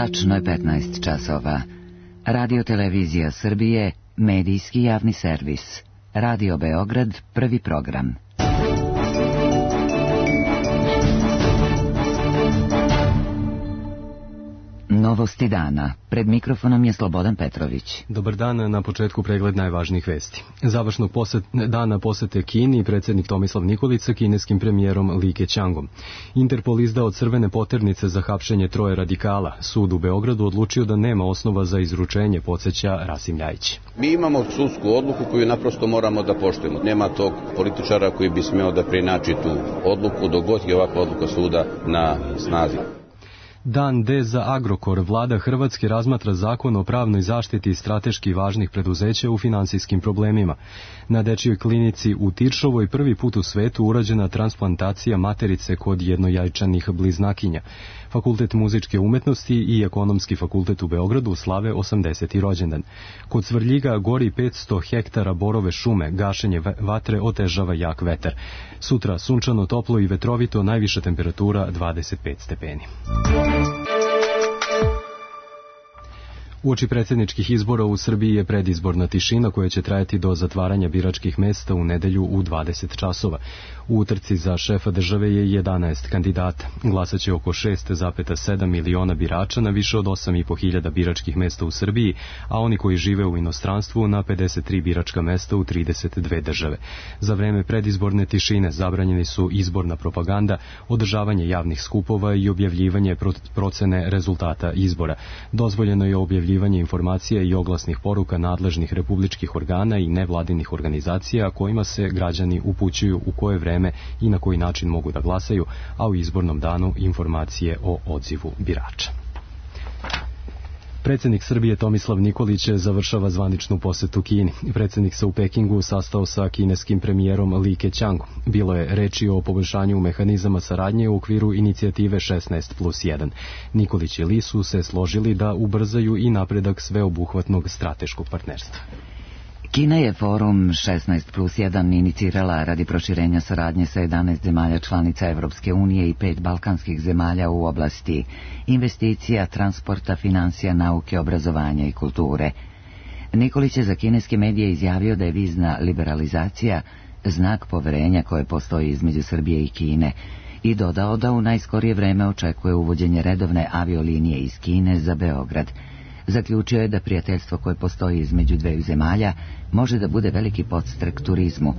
Tačno je 15 časova. Radio Televizija Srbije, medijski javni servis. Radio Beograd, prvi program. Novosti dana. Pred mikrofonom je Slobodan Petrović. Dobar dan, na početku pregled najvažnijih vesti. Završnog dana posete Kini predsjednik Tomislav Nikolić sa kineskim premijerom Li Keqiangom. Interpol izdao crvene poternice za hapšenje troje radikala. Sud u Beogradu odlučio da nema osnova za izručenje, podsjeća Rasim Ljajić. Mi imamo sudsku odluku koju naprosto moramo da poštujemo. Nema tog političara koji bi smeo da preinači tu odluku dok god je ovakva odluka suda na snazi. Dan D za Agrokor. Vlada Hrvatske razmatra zakon o pravnoj zaštiti strateški važnih preduzeća u finansijskim problemima. Na dečijoj klinici u Tiršovoj prvi put u svetu urađena transplantacija materice kod jednojajčanih bliznakinja. Fakultet muzičke umetnosti i Ekonomski fakultet u Beogradu slave 80. rođendan. Kod Svrljiga gori 500 hektara borove šume, gašenje vatre otežava jak vetar. Sutra sunčano, toplo i vetrovito, najviša temperatura 25 stepeni. Uoči predsjedničkih izbora u Srbiji je predizborna tišina koja će trajati do zatvaranja biračkih mesta u nedelju u 20 časova. U utrci za šefa države je 11 kandidata. Glasaće oko 6,7 miliona birača na više od 8.500 biračkih mesta u Srbiji, a oni koji žive u inostranstvu na 53 biračka mesta u 32 države. Za vreme predizborne tišine zabranjeni su izborna propaganda, održavanje javnih skupova i objavljivanje procene rezultata izbora. Dozvoljeno je objavljivanje informacija i oglasnih poruka nadležnih republičkih organa i nevladinih organizacija kojima se građani upućuju u koje vreme i na koji način mogu da glasaju, a u izbornom danu informacije o odzivu birača. Predsjednik Srbije Tomislav Nikolić završava zvaničnu posetu Kini. Predsjednik se u Pekingu sastao sa kineskim premijerom Li Keqiangom. Bilo je reči o poboljšanju mehanizama saradnje u okviru inicijative 16+1. Nikolić i Li su se složili da ubrzaju i napredak sveobuhvatnog strateškog partnerstva. Kina je forum 16+1 inicirala radi proširenja saradnje sa 11 zemalja članica Evropske unije i 5 balkanskih zemalja u oblasti investicija, transporta, financija, nauke, obrazovanja i kulture. Nikolić je za kineske medije izjavio da je vizna liberalizacija znak poverenja koje postoji između Srbije i Kine i dodao da u najskorije vreme očekuje uvođenje redovne aviolinije iz Kine za Beograd. Zaključio je da prijateljstvo koje postoji između dveju zemalja može da bude veliki podstrek turizmu.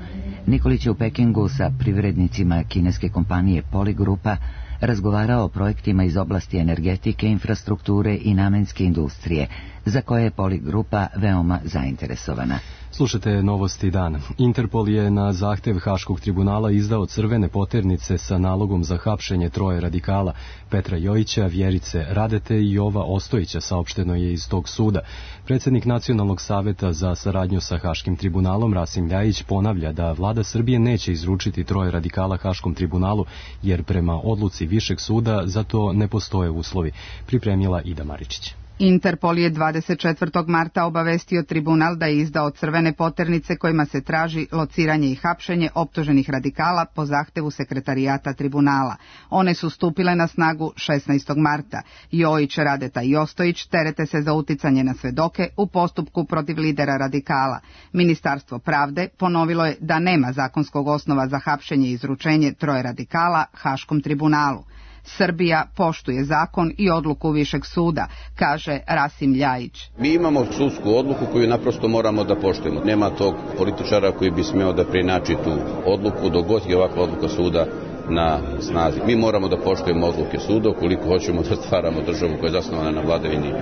Nikolić je u Pekingu sa privrednicima kineske kompanije Poligrupa razgovarao o projektima iz oblasti energetike, infrastrukture i namenske industrije, za koje je Poligrupa veoma zainteresovana. Slušajte novosti dana. Interpol je na zahtev Haškog tribunala izdao crvene poternice sa nalogom za hapšenje troje radikala, Petra Jojića, Vjerice Radete i Jova Ostojića, saopšteno je iz tog suda. Predsjednik Nacionalnog saveta za saradnju sa Haškim tribunalom Rasim Ljajić ponavlja da vlada Srbije neće izručiti troje radikala Haškom tribunalu, jer prema odluci Višeg suda za to ne postoje uslovi, pripremila Ida Maričić. Interpol je 24. marta obavestio tribunal da je izdao crvene poternice kojima se traži lociranje i hapšenje optuženih radikala po zahtevu sekretarijata tribunala. One su stupile na snagu 16. marta. Jojić, Radeta i Ostojić terete se za uticanje na svedoke u postupku protiv lidera radikala. Ministarstvo pravde ponovilo je da nema zakonskog osnova za hapšenje i izručenje troje radikala Haškom tribunalu. Srbija poštuje zakon i odluku Višeg suda, kaže Rasim Ljajić. Mi imamo sudsku odluku koju naprosto moramo da poštujemo. Nema tog političara koji bi smeo da preinači tu odluku dok god je ovakva odluka suda na snazi. Mi moramo da poštujemo odluke suda ukoliko hoćemo da stvaramo državu koja je zasnovana na vladavini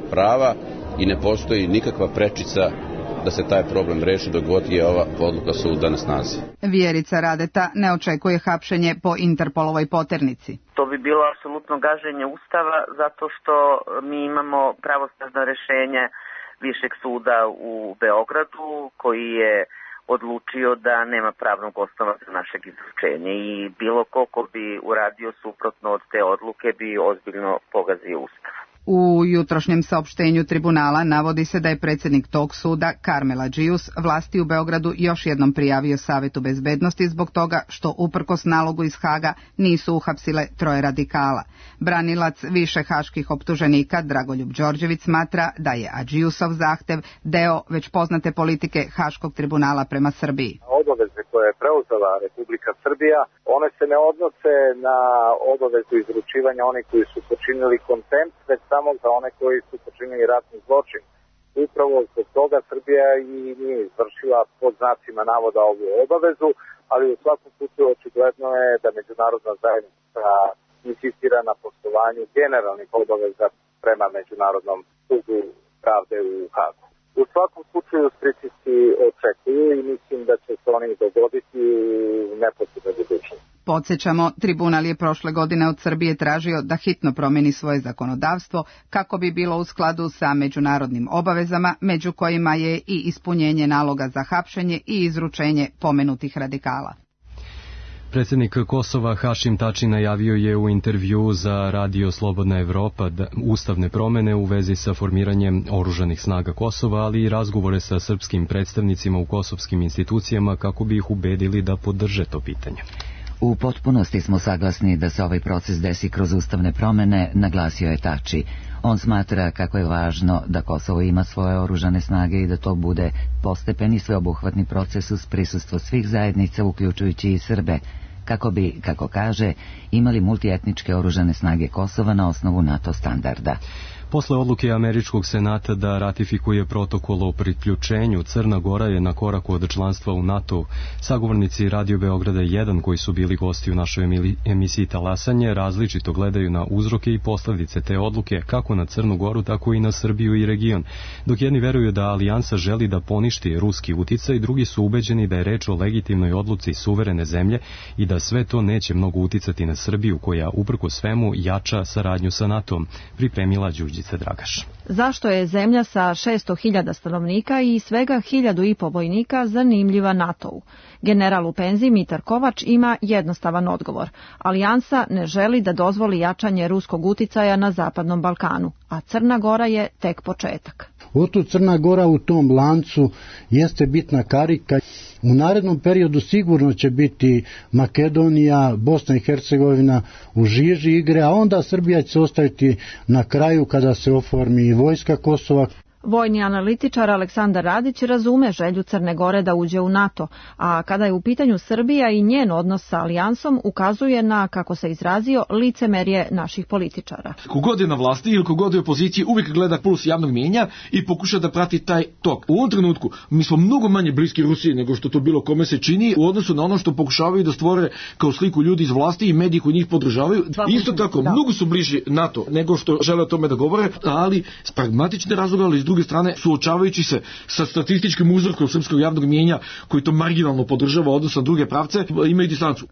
prava i ne postoji nikakva prečica da se taj problem reši dok god je ova odluka suda na snazi. Vjerica Radeta ne očekuje hapšenje po Interpolovoj poternici. To bi bilo apsolutno gaženje Ustava zato što mi imamo pravosnažno rješenje Višeg suda u Beogradu koji je odlučio da nema pravnog osnova za našeg izručenja i bilo ko bi uradio suprotno od te odluke bi ozbiljno pogazio Ustav. U jutrošnjem saopštenju tribunala navodi se da je predsjednik tog suda, Karmel Adžius, vlasti u Beogradu još jednom prijavio Savetu bezbednosti zbog toga što uprkos nalogu iz Haga nisu uhapsile 3 radikala. Branilac više haških optuženika Dragoljub Đorđević smatra da je Adžiusov zahtev deo već poznate politike Haškog tribunala prema Srbiji. Obaveze koje je preuzela Republika Srbija, one se ne odnose na obavezu izručivanja onih koji su počinili kontempt, već samo za one koji su počinili ratni zločin. Upravo zbog toga Srbija i nije izvršila pod znacima navoda ovu obavezu, ali u svakom slučaju očigledno je da međunarodna zajednica insistira na poštovanju generalnih obaveza prema Međunarodnom sudu pravde u Hagu. U svakom slučaju pritisci očekuju i mislim da će se oni dogoditi u neposrednoj budućnosti. Podsjećamo, tribunal je prošle godine od Srbije tražio da hitno promijeni svoje zakonodavstvo kako bi bilo u skladu sa međunarodnim obavezama, među kojima je i ispunjenje naloga za hapšenje i izručenje pomenutih radikala. Predsjednik Kosova Hašim Tači najavio je u intervju za Radio Slobodna Evropa ustavne promjene u vezi sa formiranjem oružanih snaga Kosova, ali i razgovore sa srpskim predstavnicima u kosovskim institucijama kako bi ih ubedili da podrže to pitanje. U potpunosti smo saglasni da se ovaj proces desi kroz ustavne promjene, naglasio je Tači. On smatra kako je važno da Kosovo ima svoje oružane snage i da to bude postepeni sveobuhvatni proces uz prisustvo svih zajednica, uključujući i Srbe, kako bi, kako kaže, imali multietničke oružane snage Kosova na osnovu NATO standarda. Posle odluke Američkog senata da ratifikuje protokol o priključenju, Crna Gora je na koraku od članstva u NATO. Sagovornici Radio Beograda 1 koji su bili gosti u našoj emisiji Talasanje različito gledaju na uzroke i posljedice te odluke, kako na Crnu Goru, tako i na Srbiju i region. Dok jedni veruju da alijansa želi da poništi ruski uticaj, drugi su ubeđeni da je reč o legitimnoj odluci suverene zemlje i da sve to neće mnogo uticati na Srbiju, koja uprkos svemu jača saradnju sa NATO-om, pripremila Đurđica Dragaš. Zašto je zemlja sa 600.000 stanovnika i svega 1.500 vojnika zanimljiva NATO-u? General u penziji Mitar Kovač ima jednostavan odgovor. Alijansa ne želi da dozvoli jačanje ruskog uticaja na Zapadnom Balkanu, a Crna Gora je tek početak. Otud Crna Gora u tom lancu jeste bitna karika. U narednom periodu sigurno će biti Makedonija, Bosna i Hercegovina u žiži igre, a onda Srbija će ostaviti na kraju kada se oformi i vojska Kosova. Vojni analitičar Aleksandar Radić razume želju Crne Gore da uđe u NATO, a kada je u pitanju Srbija i njen odnos sa alijansom, ukazuje na, kako se izrazio, licemerje naših političara. Kogod je na vlasti ili kogod je u opoziciji uvijek gleda puls javnog mijenja i pokuša da prati taj tok. U ovom trenutku mi smo mnogo manje bliski Rusiji nego što to bilo kome se čini u odnosu na ono što pokušavaju da stvore kao sliku ljudi iz vlasti i mediji koji njih podržavaju. Isto tako, mnogo su bliži NATO nego što žele o tome da govore, ali s pragmatične razloga, ali s druge strane suočavajući se sa statističkim uzorkom srpskog javnog mijenja koji to marginalno podržava odnosno na druge pravce, imaju distancu.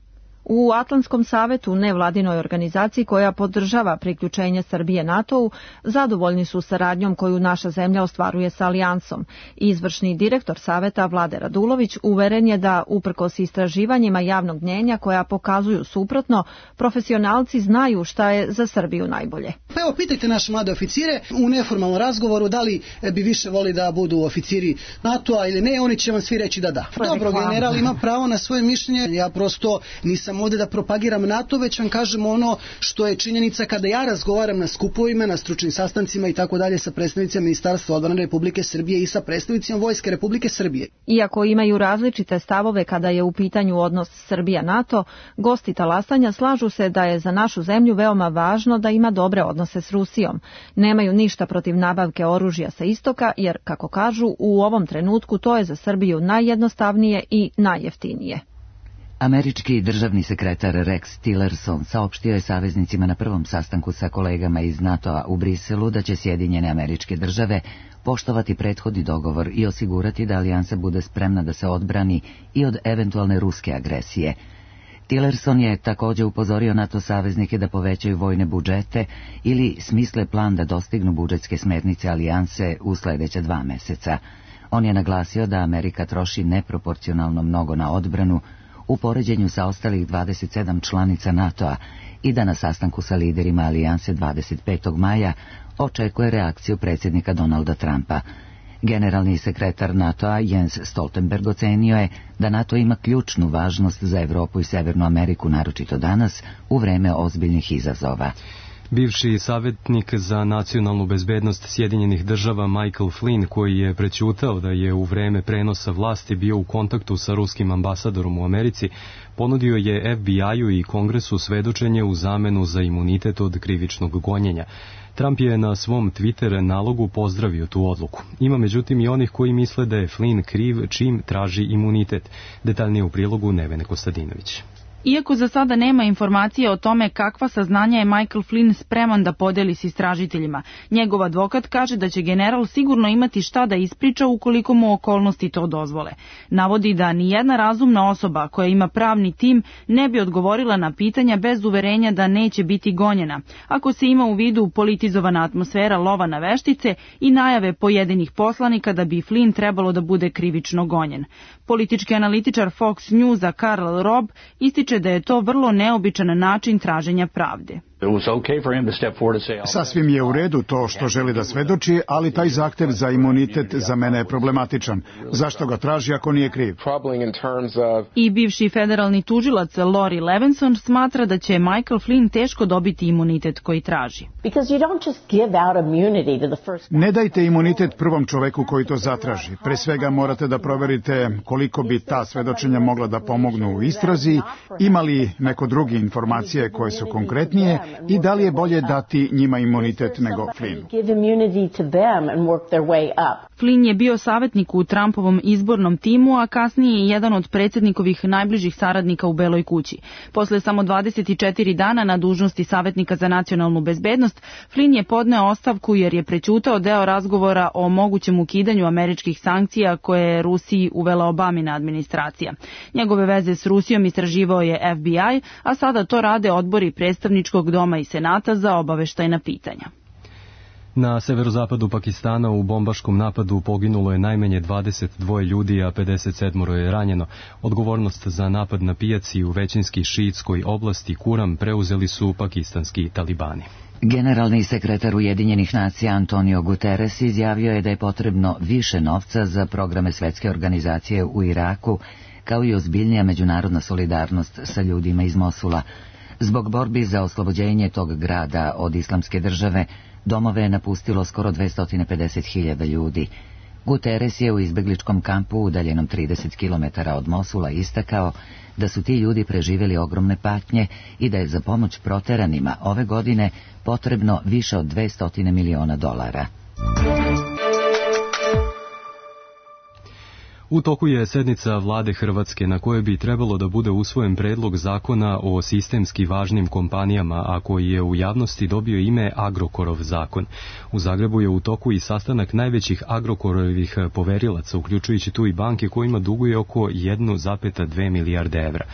U Atlantskom savetu, nevladinoj organizaciji koja podržava priključenje Srbije NATO-u, zadovoljni su saradnjom koju naša zemlja ostvaruje sa alijansom. Izvršni direktor saveta Vlade Radulović uveren je da, uprkos istraživanjima javnog mnjenja koja pokazuju suprotno, profesionalci znaju šta je za Srbiju najbolje. Evo, pitajte naše mlade oficire u neformalnom razgovoru da li bi više voli da budu oficiri NATO-a ili ne, oni će vam svi reći da da. Dobro, general ima pravo na svoje mišljenje, ja prosto nisam ovdje da propagiram NATO, već vam kažem ono što je činjenica kada ja razgovaram na skupovima, na stručnim sastancima i tako dalje sa predstavnicima Ministarstva odbrane Republike Srbije i sa predstavnicima Vojske Republike Srbije. Iako imaju različite stavove kada je u pitanju odnos Srbija-NATO, gosti talasanja slažu se da je za našu zemlju veoma važno da ima dobre odnose s Rusijom. Nemaju ništa protiv nabavke oružja sa istoka, jer, kako kažu, u ovom trenutku to je za Srbiju najjednostavnije i najjeftinije. Američki državni sekretar Rex Tillerson saopštio je saveznicima na prvom sastanku sa kolegama iz NATO-a u Briselu da će Sjedinjene Američke Države poštovati prethodni dogovor i osigurati da alijansa bude spremna da se odbrani i od eventualne ruske agresije. Tillerson je također upozorio NATO saveznike da povećaju vojne budžete ili smisle plan da dostignu budžetske smernice alijanse u sljedeća 2 mjeseca. On je naglasio da Amerika troši neproporcionalno mnogo na odbranu, u poređenju sa ostalih 27 članica NATO-a i da na sastanku sa liderima alijanse 25. maja očekuje reakciju predsjednika Donalda Trumpa. Generalni sekretar NATO-a Jens Stoltenberg ocenio je da NATO ima ključnu važnost za Evropu i Severnu Ameriku, naročito danas, u vreme ozbiljnih izazova. Bivši savjetnik za nacionalnu bezbednost Sjedinjenih država Michael Flynn, koji je prećutao da je u vreme prenosa vlasti bio u kontaktu sa ruskim ambasadorom u Americi, ponudio je FBI-u i Kongresu svedočenje u zamenu za imunitet od krivičnog gonjenja. Trump je na svom Twitter nalogu pozdravio tu odluku. Ima međutim i onih koji misle da je Flynn kriv čim traži imunitet. Detaljnije u prilogu Nevene Kostadinović. Iako za sada nema informacije o tome kakva saznanja je Michael Flynn spreman da podeli s istražiteljima, njegov advokat kaže da će general sigurno imati šta da ispriča ukoliko mu okolnosti to dozvole. Navodi da ni jedna razumna osoba koja ima pravni tim ne bi odgovorila na pitanja bez uverenja da neće biti gonjena, ako se ima u vidu politizovana atmosfera lova na veštice i najave pojedinih poslanika da bi Flynn trebalo da bude krivično gonjen. Politički analitičar Fox Newsa Karl Robb ističe da je to vrlo neobičan način traženja pravde. Sasvim je u redu to što želi da svedoči, ali taj zahtev za imunitet za mene je problematičan. Zašto ga traži ako nije kriv? I bivši federalni tužilac Lori Levinson smatra da će Michael Flynn teško dobiti imunitet koji traži. Ne dajte imunitet prvom čoveku koji to zatraži. Pre svega morate da proverite koliko bi ta svedočenja mogla da pomognu u istrazi, ima li neko drugi informacije koje su konkretnije i da li je bolje dati njima imunitet nego Flynnu. Flynn je bio savjetnik u Trumpovom izbornom timu, a kasnije je jedan od predsjednikovih najbližih saradnika u Beloj kući. Posle samo 24 dana na dužnosti savjetnika za nacionalnu bezbednost, Flynn je podneo ostavku jer je prećutao deo razgovora o mogućem ukidanju američkih sankcija koje je Rusiji uvela Obamina administracija. Njegove veze s Rusijom istraživao je FBI, a sada to rade odbori predstavničkog doma i senata za obaveštajna pitanja. Na severozapadu Pakistana u bombaškom napadu poginulo je najmanje 22 ljudi, a 57 je ranjeno. Odgovornost za napad na pijaci u većinski šiitskoj oblasti Kuram preuzeli su pakistanski talibani. Generalni sekretar Ujedinjenih nacija Antonio Guterres izjavio je da je potrebno više novca za programe Svetske organizacije u Iraku, kao i ozbiljnija međunarodna solidarnost sa ljudima iz Mosula. Zbog borbi za oslobođenje tog grada od islamske države, domove je napustilo skoro 250.000 ljudi. Guterres je u izbegličkom kampu udaljenom 30 km od Mosula istakao da su ti ljudi preživjeli ogromne patnje i da je za pomoć proteranima ove godine potrebno više od $200 miliona. U toku je sednica vlade Hrvatske na kojoj bi trebalo da bude usvojen predlog zakona o sistemski važnim kompanijama, a koji je u javnosti dobio ime Agrokorov zakon. U Zagrebu je u toku i sastanak najvećih Agrokorovih poverilaca, uključujući tu i banke kojima duguje oko 1,2 milijarde evra.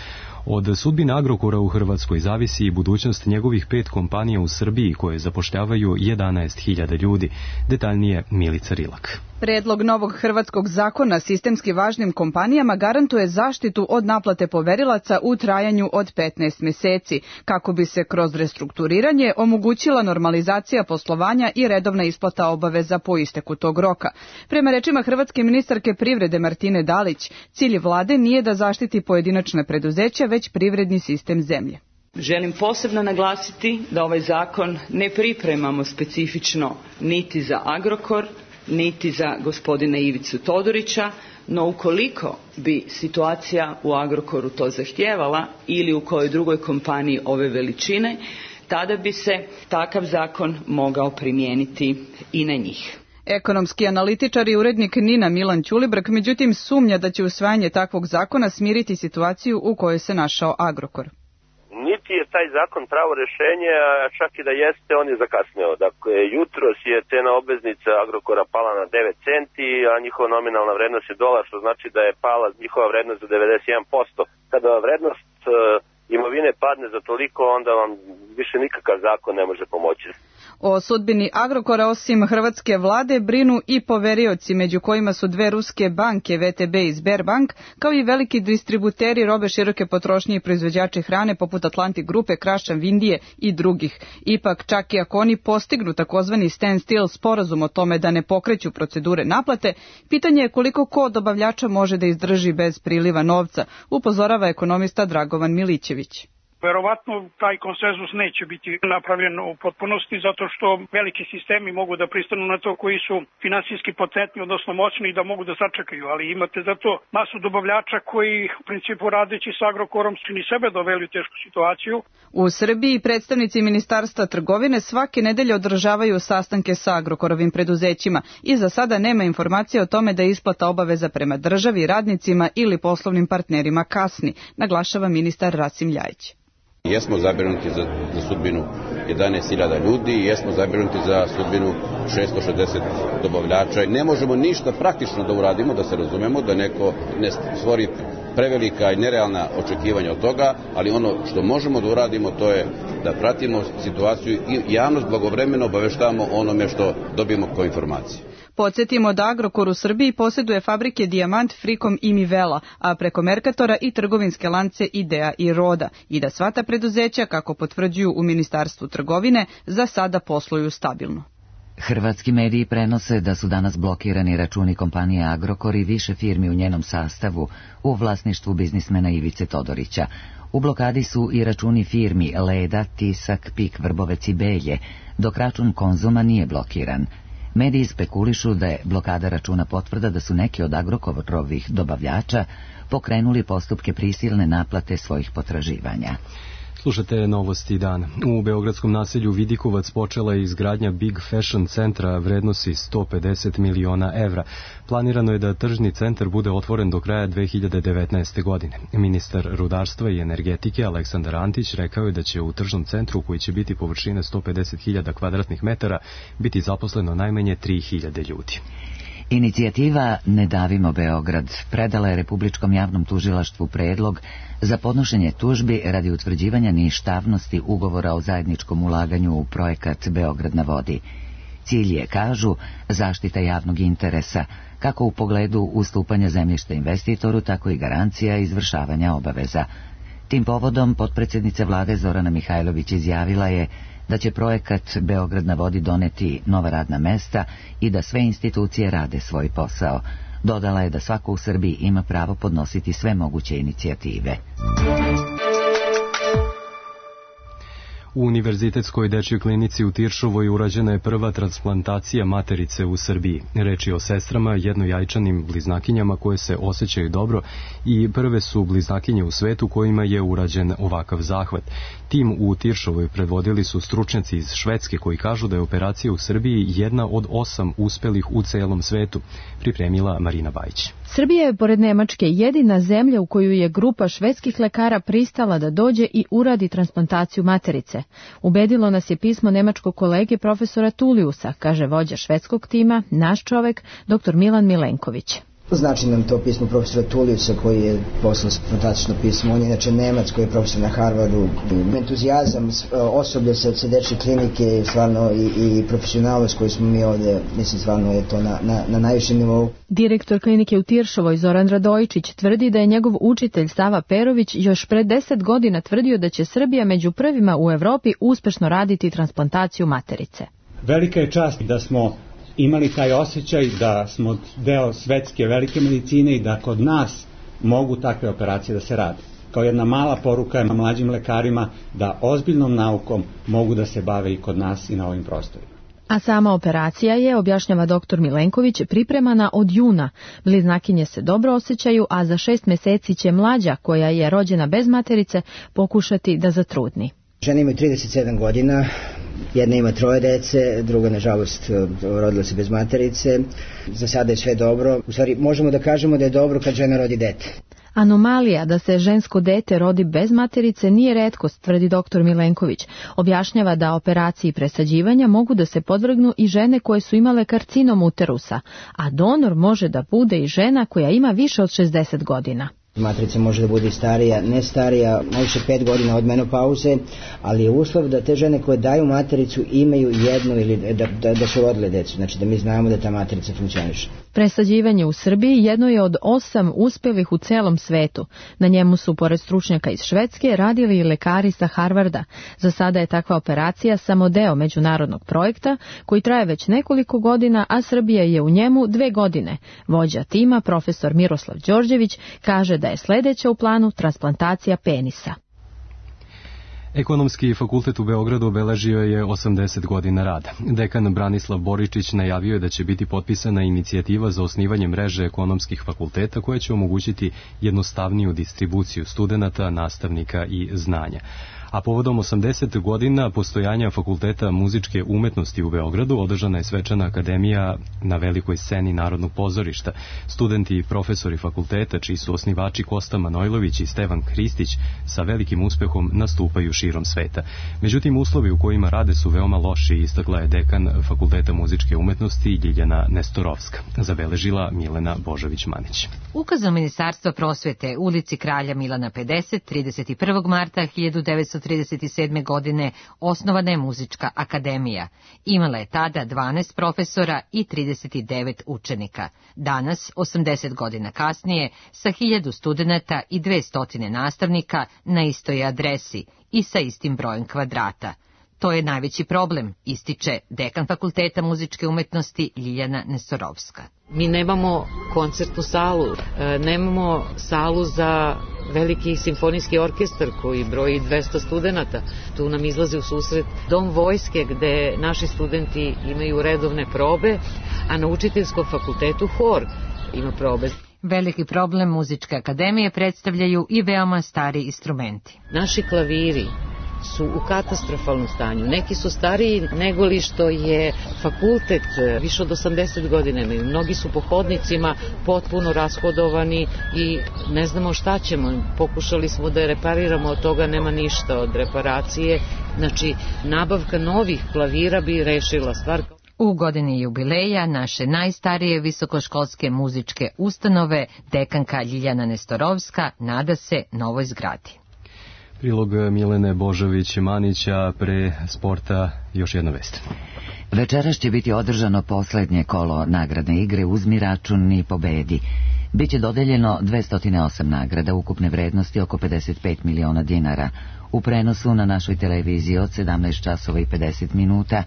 Od sudbine Agrokora u Hrvatskoj zavisi i budućnost njegovih 5 kompanija u Srbiji koje zapošljavaju 11.000 ljudi. Detaljnije Milica Rilak. Predlog novog hrvatskog zakona sistemski važnim kompanijama garantuje zaštitu od naplate poverilaca u trajanju od 15 mjeseci, kako bi se kroz restrukturiranje omogućila normalizacija poslovanja i redovna isplata obaveza po isteku tog roka. Prema rečima hrvatske ministarke privrede Martine Dalić, cilj vlade nije da zaštiti pojedinačne preduzeća, već privredni sistem zemlje. Želim posebno naglasiti da ovaj zakon ne pripremamo specifično niti za Agrokor, niti za gospodina Ivicu Todorića, no ukoliko bi situacija u Agrokoru to zahtijevala ili u kojoj drugoj kompaniji ove veličine, tada bi se takav zakon mogao primijeniti i na njih. Ekonomski analitičar i urednik NIN-a Milan Ćulibrk međutim sumnja da će usvajanje takvog zakona smiriti situaciju u kojoj se našao Agrokor. Niti je taj zakon pravo rješenje, a čak i da jeste, on je zakasnio. Dakle, jutros je cena obveznica Agrokora pala na 9 centi, a njihova nominalna vrednost je $1, što znači da je pala njihova vrednost za 91%. Kada vrednost imovine padne za toliko, onda vam više nikakav zakon ne može pomoći. O sudbini Agrokora osim hrvatske vlade brinu i poverioci, među kojima su dve ruske banke, VTB i Sberbank, kao i veliki distributeri robe široke potrošnje i proizvođači hrane poput Atlantic grupe, Krašan, Vindije i drugih. Ipak, čak i ako oni postignu takozvani standstill sporazum o tome da ne pokreću procedure naplate, pitanje je koliko ko od dobavljača može da izdrži bez priliva novca, upozorava ekonomista Dragovan Milićević. Verovatno taj konsenzus neće biti napravljen u potpunosti zato što veliki sistemi mogu da pristanu na to koji su finansijski potentni, odnosno moćni i da mogu da sačekaju, ali imate zato masu dobavljača koji u principu radeći sa Agrokorom su ni sebe doveli u tešku situaciju. U Srbiji predstavnici Ministarstva trgovine svake nedelje održavaju sastanke sa Agrokorovim preduzećima i za sada nema informacije o tome da je isplata obaveza prema državi, radnicima ili poslovnim partnerima kasni, naglašava ministar Rasim Ljajić. Jesmo zabrinuti za sudbinu 11.000 ljudi i jesmo zabrinuti za sudbinu 660 dobavljača. Ne možemo ništa praktično da uradimo, da se razumemo, da neko ne stvori prevelika i nerealna očekivanja od toga, ali ono što možemo da uradimo to je da pratimo situaciju i javnost blagovremeno obaveštavamo onome što dobijemo kao informacije. Podsjetimo da Agrokor u Srbiji posjeduje fabrike Dijamant, Frikom i Mivela, a preko Merkatora i trgovinske lance Idea i Roda, i da sva ta preduzeća, kako potvrđuju u Ministarstvu trgovine, za sada posluju stabilno. Hrvatski mediji prenose da su danas blokirani računi kompanije Agrokor i više firmi u njenom sastavu u vlasništvu biznismena Ivice Todorića. U blokadi su i računi firmi Leda, Tisak, Pik, Vrbovec i Belje, dok račun Konzuma nije blokiran. Mediji spekulišu da je blokada računa potvrda da su neki od Agrokorovih dobavljača pokrenuli postupke prisilne naplate svojih potraživanja. Slušate Novosti dan. U beogradskom naselju Vidikovac počela je izgradnja Big Fashion centra vrednosti 150 miliona evra. Planirano je da tržni centar bude otvoren do kraja 2019. godine. Ministar rudarstva i energetike Aleksandar Antić rekao je da će u tržnom centru, koji će biti površine 150.000 kvadratnih metara, biti zaposleno najmanje 3.000 ljudi. Inicijativa Ne davimo Beograd predala je Republičkom javnom tužilaštvu predlog za podnošenje tužbi radi utvrđivanja ništavnosti ugovora o zajedničkom ulaganju u projekat Beograd na vodi. Cilj je, kažu, zaštita javnog interesa, kako u pogledu ustupanja zemljišta investitoru, tako i garancija izvršavanja obaveza. Tim povodom potpredsjednica vlade Zorana Mihajlović izjavila je da će projekat Beograd na vodi doneti nova radna mesta i da sve institucije rade svoj posao. Dodala je da svako u Srbiji ima pravo podnositi sve moguće inicijative. U Univerzitetskoj dečjoj klinici u Tiršovoj urađena je prva transplantacija materice u Srbiji. Reč je o sestrama, jednojajčanim bliznakinjama koje se osjećaju dobro i prve su bliznakinje u svetu kojima je urađen ovakav zahvat. Tim u Tiršovoj predvodili su stručnjaci iz Švedske koji kažu da je operacija u Srbiji jedna od 8 uspelih u celom svetu, pripremila Marina Bajić. Srbija je pored Nemačke jedina zemlja u koju je grupa švedskih lekara pristala da dođe i uradi transplantaciju materice. Ubedilo nas je pismo nemačkog kolege profesora Tuliusa, kaže vođa švedskog tima, naš čovek, dr. Milan Milenković. Znači nam to pismo profesora Tuliusa koji je poslao fantastično pismo. On je inače Nemac koji je profesor na Harvardu. Entuzijazam osoblja sa dečje klinike stvarno i profesionalnost koju smo mi ovdje, mislim stvarno je to na najvišem nivou. Direktor klinike u Tiršovoj Zoran Radojičić tvrdi da je njegov učitelj Sava Perović još pre 10 godina tvrdio da će Srbija među prvima u Evropi uspešno raditi transplantaciju materice. Velika je čast da smo imali taj osjećaj da smo deo svetske velike medicine i da kod nas mogu takve operacije da se rade. Kao jedna mala poruka mlađim lekarima da ozbiljnom naukom mogu da se bave i kod nas i na ovim prostorima. A sama operacija je, objašnjava dr. Milenković, pripremana od juna. Bliznakinje se dobro osjećaju, a za 6 meseci će mlađa, koja je rođena bez materice, pokušati da zatrudni. Žena ima 37 godina, jedna ima 3 dece, druga nažalost rodila se bez materice. Za sada je sve dobro. U stvari možemo da kažemo da je dobro kad žena rodi dete. Anomalija da se žensko dete rodi bez materice nije retkost, tvrdi dr. Milenković. Objašnjava da operaciji presađivanja mogu da se podvrgnu i žene koje su imale karcinom uterusa, a donor može da bude i žena koja ima više od 60 godina. Matrica može da bude i starija, ne starija, najviše 5 godina od menopauze, ali je uslov da te žene koje daju matericu imaju jednu ili da su rodile decu, znači da mi znamo da ta matrica funkcioniše. Presađivanje u Srbiji jedno je od 8 uspelih u celom svetu. Na njemu su, pored stručnjaka iz Švedske, radili i lekari sa Harvarda. Za sada je takva operacija samo deo međunarodnog projekta koji traje već nekoliko godina, a Srbija je u njemu 2 godine. Vođa tima, profesor Miroslav Đorđević, kaže da je sledeća u planu transplantacija penisa. Ekonomski fakultet u Beogradu obeležio je 80 godina rada. Dekan Branislav Boričić najavio je da će biti potpisana inicijativa za osnivanje mreže ekonomskih fakulteta koja će omogućiti jednostavniju distribuciju studenata, nastavnika i znanja. A povodom 80 godina postojanja Fakulteta muzičke umetnosti u Beogradu održana je svečana akademija na velikoj sceni Narodnog pozorišta. Studenti i profesori fakulteta, čiji su osnivači Kosta Manojlović i Stevan Hristić, sa velikim uspehom nastupaju širom sveta. Međutim, uslovi u kojima rade su veoma loši, istakla je dekan Fakulteta muzičke umetnosti Ljiljana Nestorovska. Zabeležila Milena Božović-Manić. Ukazom Ministarstva prosvete ulici Kralja Milana 50, 31. marta 1937. godine osnovana je Muzička akademija. Imala je tada 12 profesora i 39 učenika. Danas, 80 godina kasnije, sa 1000 studenata i 200 nastavnika na istoj adresi i sa istim brojem kvadrata. To je najveći problem, ističe dekan Fakulteta muzičke umetnosti Ljiljana Nestorovska. Mi nemamo koncertnu salu, nemamo salu za veliki simfonijski orkestar koji broji 200 studenata. Tu nam izlazi u susret dom vojske gde naši studenti imaju redovne probe, a na učiteljskom fakultetu hor ima probe. Veliki problem muzičke akademije predstavljaju i veoma stari instrumenti. Naši klaviri su u katastrofalnom stanju. Neki su stariji nego li što je fakultet, više od 80 godina imaju. Mnogi su po hodnicima potpuno rashodovani i ne znamo šta ćemo. Pokušali smo da je repariramo, od toga nema ništa od reparacije. Znači, nabavka novih klavira bi rešila stvar. U godini jubileja naše najstarije visokoškolske muzičke ustanove dekanka Ljiljana Nestorovska nada se novoj zgradi. Prilog Milene Božović-Manića, pre sporta još jedna vest. Večeras će biti održano poslednje kolo nagradne igre Uzmi račun i pobedi. Biće dodeljeno 208 nagrada ukupne vrednosti oko 55 miliona dinara. U prenosu na našoj televiziji od 17 časova i 50 minuta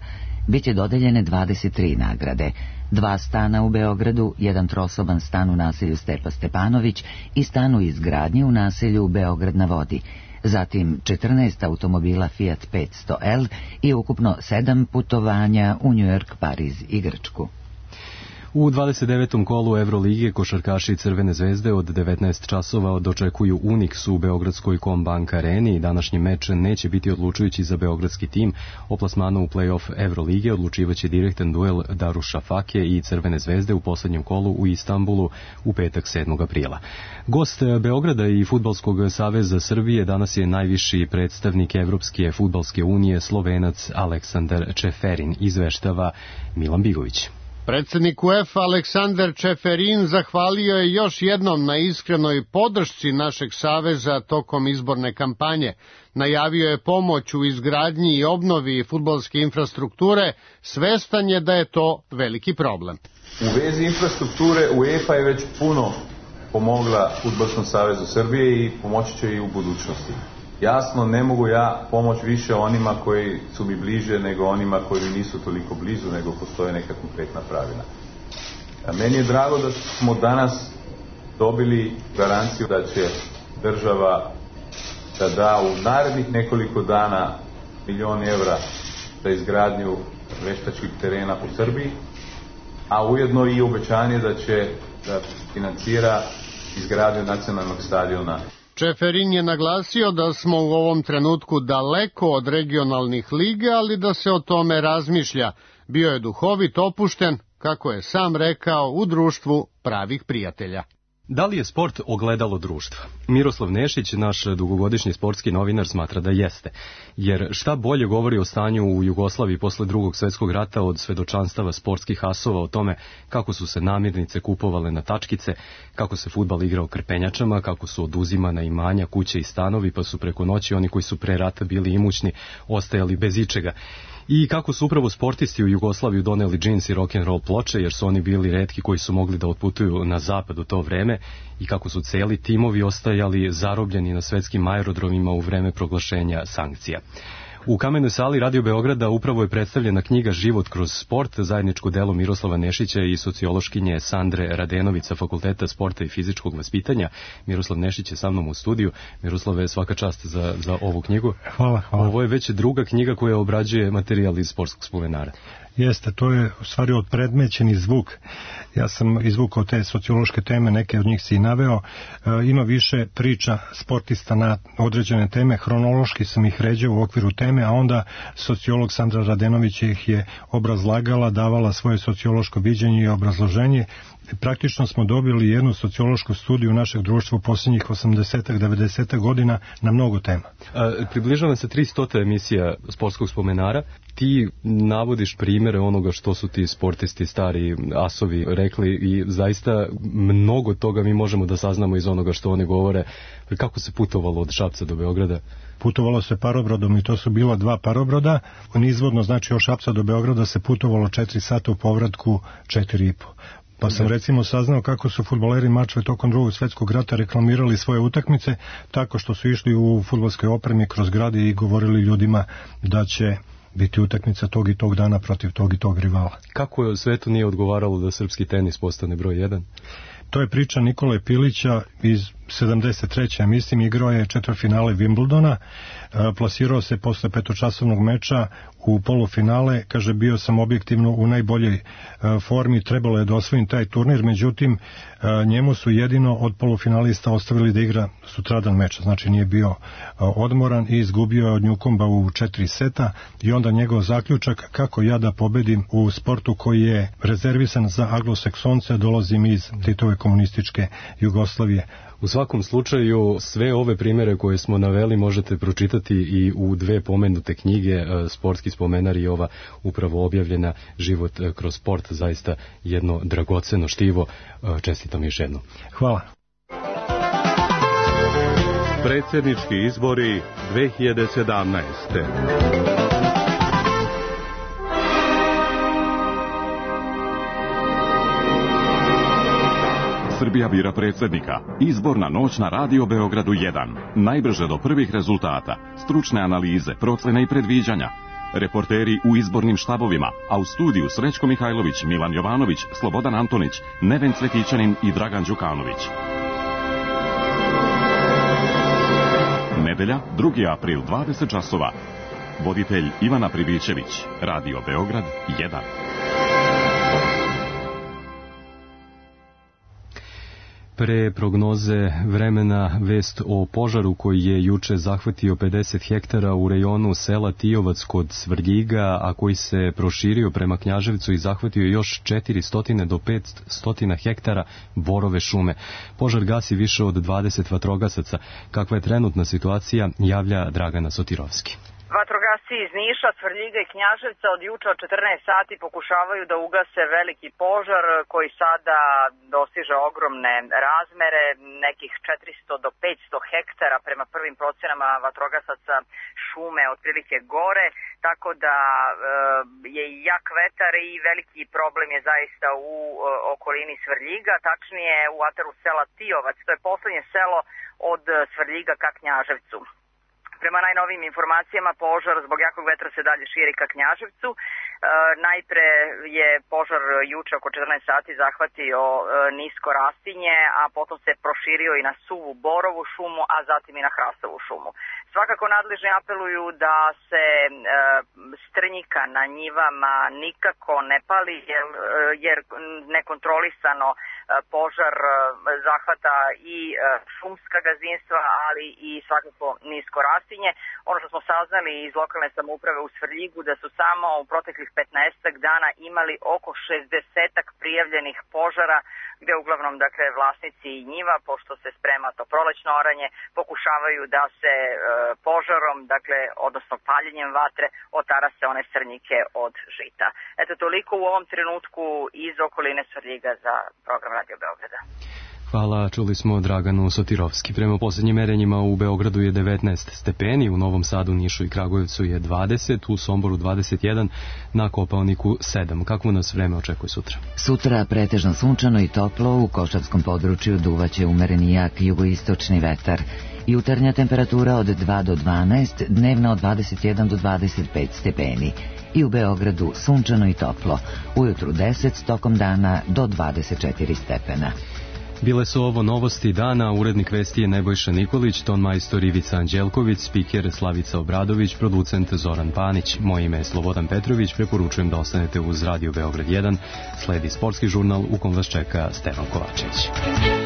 biće dodeljene 23 nagrade. 2 stana u Beogradu, 1 trosoban stan u naselju Stepa Stepanović i stan u izgradnji u naselju Beograd na vodi. Zatim 14 automobila Fiat 500L i ukupno 7 putovanja u New York, Pariz i Grčku. U 29. kolu Evrolige košarkaši Crvene zvezde od 19 časova dočekuju Unix u Beogradskoj Combank areni. Današnji meč neće biti odlučujući za beogradski tim. O plasmanu u play-off Evrolige odlučivaće direktan duel Daruša Fake i Crvene zvezde u poslednjem kolu u Istanbulu u petak 7. aprila. Gost Beograda i Fudbalskog saveza Srbije danas je najviši predstavnik Evropske fudbalske unije, Slovenac Aleksandar Čeferin, izveštava Milan Bigović. Predsednik UEFA Aleksandar Čeferin zahvalio je još jednom na iskrenoj podršci našeg saveza tokom izborne kampanje. Najavio je pomoć u izgradnji i obnovi fudbalske infrastrukture, svestan je da je to veliki problem. U vezi infrastrukture UEFA je već puno pomogla Fudbalskom savezu Srbije i pomoći će i u budućnosti. Jasno, ne mogu ja pomoć više onima koji su mi bliže nego onima koji mi nisu toliko blizu, nego postoje neka konkretna pravila. Meni je drago da smo danas dobili garanciju da će država da u narednih nekoliko dana $1 milion za izgradnju veštačkih terena u Srbiji, a ujedno i obećanje da će da financira izgradnju nacionalnog stadiona. Čeferin je naglasio da smo u ovom trenutku daleko od regionalnih liga, ali da se o tome razmišlja. Bio je duhovit, opušten, kako je sam rekao, u društvu pravih prijatelja. Da li je sport ogledalo društva? Miroslav Nešić, naš dugogodišnji sportski novinar, smatra da jeste. Jer šta bolje govori o stanju u Jugoslaviji posle Drugog svjetskog rata od svedočanstava sportskih asova o tome kako su se namirnice kupovale na tačkice, kako se fudbal igrao krpenjačama, kako su oduzimana imanja, kuće i stanovi, pa su preko noći oni koji su pre rata bili imućni ostajali bez ičega. I kako su upravo sportisti u Jugoslaviju doneli džins i rock'n'roll ploče, jer su oni bili retki koji su mogli da otputuju na zapad u to vreme, i kako su celi timovi ostajali zarobljeni na svetskim aerodromima u vreme proglašenja sankcija. U Kamenoj sali Radio Beograda upravo je predstavljena knjiga Život kroz sport, zajedničko delo Miroslava Nešića i sociološkinje Sandre Radenović sa Fakulteta sporta i fizičkog vaspitanja. Miroslav Nešić je sa mnom u studiju. Miroslave, svaka čast za ovu knjigu. Hvala. Ovo je već druga knjiga koja obrađuje materijal iz sportskog spomenara. Jeste, to je u stvari odpredmećeni zvuk. Ja sam izvukao te sociološke teme, neke od njih si i naveo. Ima više priča sportista na određene teme, hronološki sam ih ređao u okviru teme, a onda sociolog Sandra Radenović ih je obrazlagala, davala svoje sociološko viđenje i obrazloženje. Praktično smo dobili jednu sociološku studiju našeg društva u posljednjih 80-90 godina na mnogo tema. Približava se 300 emisija sportskog spomenara. Ti navodiš primjere onoga što su ti sportisti, stari asovi rekli, i zaista mnogo toga mi možemo da saznamo iz onoga što oni govore. Kako se putovalo od Šapca do Beograda? Putovalo se parobrodom i to su bila 2 parobroda. Nizvodno, znači od Šapca do Beograda se putovalo 4 sata, u povratku 4,5. Pa sam recimo saznao kako su fudbaleri Mačve tokom Drugog svjetskog rata reklamirali svoje utakmice tako što su išli u fudbalskoj opremi kroz grad i govorili ljudima da će biti utakmica tog i tog dana protiv tog i tog rivala. Kako svetu nije odgovaralo da srpski tenis postane broj 1? To je priča Nikole Pilića iz 73. mislim, igrao je četvrtfinale Wimbledona, plasirao se posle petočasovnog meča u polufinale, kaže bio sam objektivno u najboljoj formi, trebalo je da osvojim taj turnir, međutim njemu su jedino od polufinalista ostavili da igra sutradan meč, znači nije bio odmoran i izgubio je od Njukomba u 4 seta i onda njegov zaključak kako ja da pobedim u sportu koji je rezervisan za anglosaksonce, dolazim iz Titove komunističke Jugoslavije. U svakom slučaju, sve ove primjere koje smo naveli možete pročitati i u 2 pomenute knjige, Sportski spomenar i ova upravo objavljena Život kroz sport, zaista jedno dragoceno štivo. Čestitam još jedno. Hvala. Predsjednički izbori 2017. Srbija bira predsjednika. Izborna noć na Radio Beogradu 1. Najbrže do prvih rezultata. Stručne analize, procene i predviđanja. Reporteri u izbornim štabovima, a u studiju Srećko Mihajlović, Milan Jovanović, Slobodan Antonić, Neven Cvetićanin i Dragan Đukanović. Nedelja, 2. april, 20 časova. Voditelj Ivana Pribićević. Radio Beograd 1. Pre prognoze vremena vest o požaru koji je juče zahvatio 50 hektara u rejonu sela Tijovac kod Svrljiga, a koji se proširio prema Knjaževcu i zahvatio još 400 do 500 hektara borove šume. Požar gasi više od 20 vatrogasaca. Kakva je trenutna situacija, javlja Dragana Sotirovski. Vatrogasci iz Niša, Svrljiga i Knjaževca od juče od 14 sati pokušavaju da ugase veliki požar koji sada dostiže ogromne razmere, nekih 400 do 500 hektara prema prvim procenama vatrogasaca šume otprilike gore, tako da je jak vetar i veliki problem je zaista u okolini Svrljiga, tačnije u ataru sela Tijovac, to je poslednje selo od Svrljiga ka Knjaževcu. Prema najnovijim informacijama, požar zbog jakog vetra se dalje širi ka Knjaževcu. Najpre je požar juče oko 14 sati zahvatio nisko rastinje, a potom se proširio i na suvu borovu šumu, a zatim i na hrastovu šumu. Svakako nadležni apeluju da se strnjika na njivama nikako ne pali, jer nekontrolisano požar zahvata i šumska gazdinstva, ali i svakako nisko rastinje. Ono što smo saznali iz lokalne samouprave u Svrljigu, da su samo u proteklih 15 dana imali oko 60 prijavljenih požara gde uglavnom dakle vlasnici njiva, pošto se sprema to prolećno oranje, pokušavaju da se požarom, dakle odnosno paljenjem vatre otarase one srnjike od žita. Eto toliko u ovom trenutku iz okoline Svrljiga za program Radio Beograda. Hvala, čuli smo Draganu Sotirovski. Prema poslednjim merenjima u Beogradu je 19 stepeni, u Novom Sadu, Nišu i Kragujevcu je 20, u Somboru 21, na Kopaoniku 7. Kakvo nas vreme očekuje sutra? Sutra pretežno sunčano i toplo, u Košavskom području duvaće umereni jak jugoistočni vetar. Jutarnja temperatura od 2 do 12, dnevna od 21 do 25 stepeni. I u Beogradu sunčano i toplo, ujutru 10, tokom dana do 24 stepena. Bile su ovo novosti dana, urednik vesti je Nebojša Nikolić, tonmajstor Ivica Anđelković, spiker Slavica Obradović, producent Zoran Panić. Moje ime je Slobodan Petrović, preporučujem da ostanete uz Radio Beograd 1, sledi sportski žurnal u kom vas čeka Stevan Kovačević.